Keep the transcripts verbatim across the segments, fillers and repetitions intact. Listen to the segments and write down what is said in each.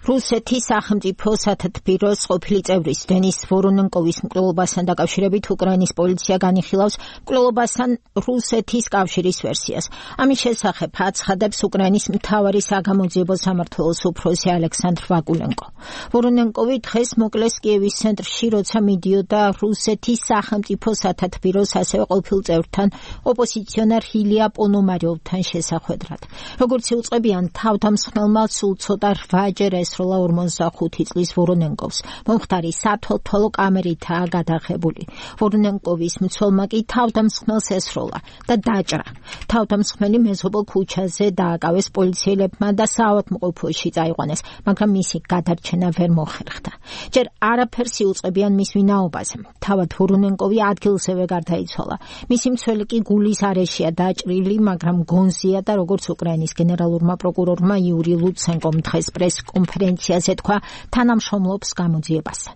რუსეთის სახელმწიფო სათათბიროს ყოფილი წევრის დენის ვორონენკოვის მკვლელობასთან დაკავშირებით უკრაინის პოლიცია განიხილავს მკვლელობასთან რუსეთის კავშირის ვერსიას. ამის შესახებ აცხადებს უკრაინის მთავარი საგამოძიებო სამმართველოს უფროსი ალექსანდრ ვაკულენკო. ვორონენკოვი დღეს მოკლეს კიევის ცენტრში, როცა მიდიოდა რუსეთის სახელმწიფო სათათბიროს ასევე ყოფილ წევრთან ოპოზიციონერ ილია პონომარიოვთან შესახვედრად. როგორც იუწყებიან, თავდამსხმელმა სულ ცოტა რვაჯერ ესროლა ორმოცდახუთი წლის ვორონენკოვს. მომხდარი სათვალთვალო კამერითაა გადაღებული. ვორონენკოვის მცველმა კი თავდამსხმელს ესროლა და დაჭრა. თავდამსხმელი მეზობელ ქუჩაზე დააკავეს პოლიციელებმა და საავადმყოფოში წაიყვანეს, მაგრამ მისი გადარჩენა ვერ მოხერხდა. ჯერ არაფერს იუწყებიან მის ვინაობაზე. თავად ვორონენკოვი ადგილზევე გარდაიცვალა. მისი მცველი კი გულის არეშია დაჭრილი, მაგრამ გონზია და როგორც უკრაინის გენერალურმა პროკურორმა იური ლუცენკომ დღეს პრეს-კონფერენციაზე თქვა, თანამშრომლობს გამოძიებასთან.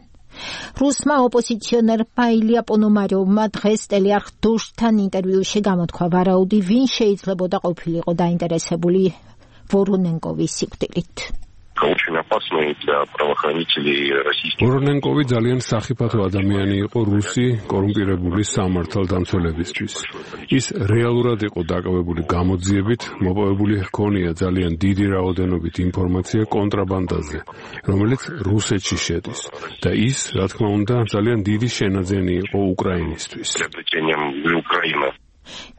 რუსმა ოპოზიციონერმა ილია პონომარიოვმა დღეს ტელეარხ დოშტთან ინტერვიუში გამოთქვა ვარაუდი, ვინ შეიძლებოდა ყოფილიყო დაინტერესებული ვორონენკოვის სიკვდილით. ვორონენკოვი ძალიან სახიფათო ადამიანი იყო რუსი კორუმპირებული სამართალდამცველებისთვის. ის რეალურად იყო დაკავებული გამოძიებით, მოპოვებული ჰქონია ძალიან დიდი რაოდენობით ინფორმაცია კონტრაბანდაზე, რომელიც რუსეთში შედის და ის, რა თქმა უნდა, ძალიან დიდი შენაძენი იყო უკრაინისთვის.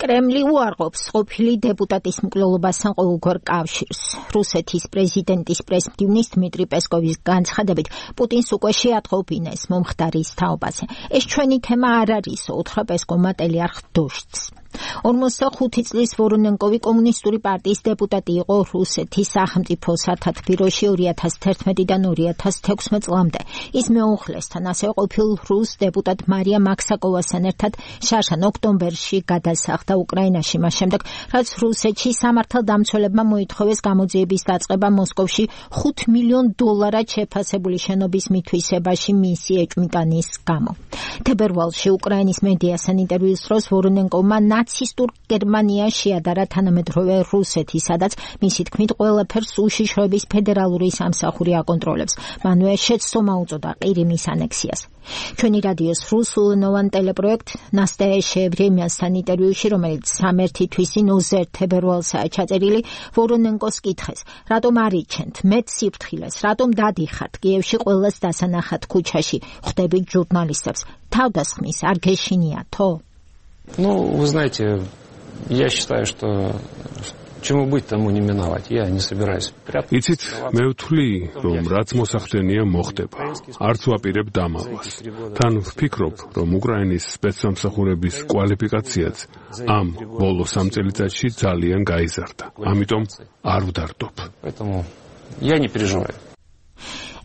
კრემლი უარყოფს ყოფილი დეპუტატის მკვლელობასთან ყოველგვარ კავშირს. რუსეთის პრეზიდენტის პრესმდივნის დმიტრი პესკოვის განცხადებით, პუტინს უკვე შეატყობინეს მომხდარის თაობაზე. ეს ჩვენი თემა არ არის, უთხრა პესკოვმა ტელეარხ დოშტს. ორმოცდახუთი წლის ვორონენკოვი კომუნისტური პარტიის დეპუტატი იყო რუსეთის სახელმწიფო სათათბიროში ორი ათას თერთმეტიდან ორი ათას თექვსმეტ წლამდე. ის მეუღლესთან, ასევე ყოფილ რუს დეპუტატ მარია მაქსაკოვასთან ერთად შარშან ოქტომბერში გადასახლდა უკრაინაში, მას შემდეგ, რაც რუსეთში სამართალდამცველებმა მოითხოვეს გამოძიების დაწყება მოსკოვში ხუთ მილიონ დოლარად შეფასებული შენობის მითვისებაში მისი ეჭვმიტანის გამო. თებერვალში უკრაინის მედიასთან ინტერვიუს დროს ვორონენკოვმა ნაცისტურ გერმანია შეადარა თანამედროვე რუსეთი, სადაც მისი თქმით ყველაფერს უშიშროების ფედერალური სამსახური აკონტროლებს. მანვე შეცდომა უწოდა ყირიმის ანექსიას. ჩვენი რადიოს რუსულენოვან ტელეპროექტ ნასტაია ბრემიასთან ინტერვიუში, რომელიც სამერთი თვისინ ოცდაერთ თებერვალსაა ჩაწერილი, ვორონენკოს კითხეს, რატომ არიჩენთ მეტ სიფრთხილეს, რატომ დადიხართ კიევში ყველას დასანახად ქუჩაში, ხვდებით ჟურნალისტებს, თავდასხმის არ გეშინიათო? Ну, вы знаете, я считаю, что чему быть, тому не миновать. Я не собираюсь прятаться. იცით, მე ვთვლი, რომ რაც მოსახდენია მოხდება. არც ვაპირებ დამალვას. თან ვფიქრობ, რომ უკრაინის სპეცსამსახურების კვალიფიკაციაც ამ ბოლო სამ წელიწადში ძალიან გაიზარდა. ამიტომ არ ვდარდობ. Поэтому я не переживаю.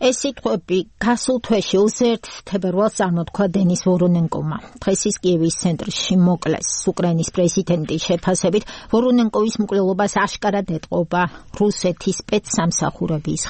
ეს სიტყვები გასულ თვეში ოცდაერთ თებერვალს წარმოთქვა დენის ვორონენკოვმა. დღეს ის კიევის ცენტრში მოკლეს. უკრაინის პრეზიდენტის შეფასებით ვორონენკოვის მკვლელობას აშკარად ეტყობა რუსეთის სპეცსამსახურების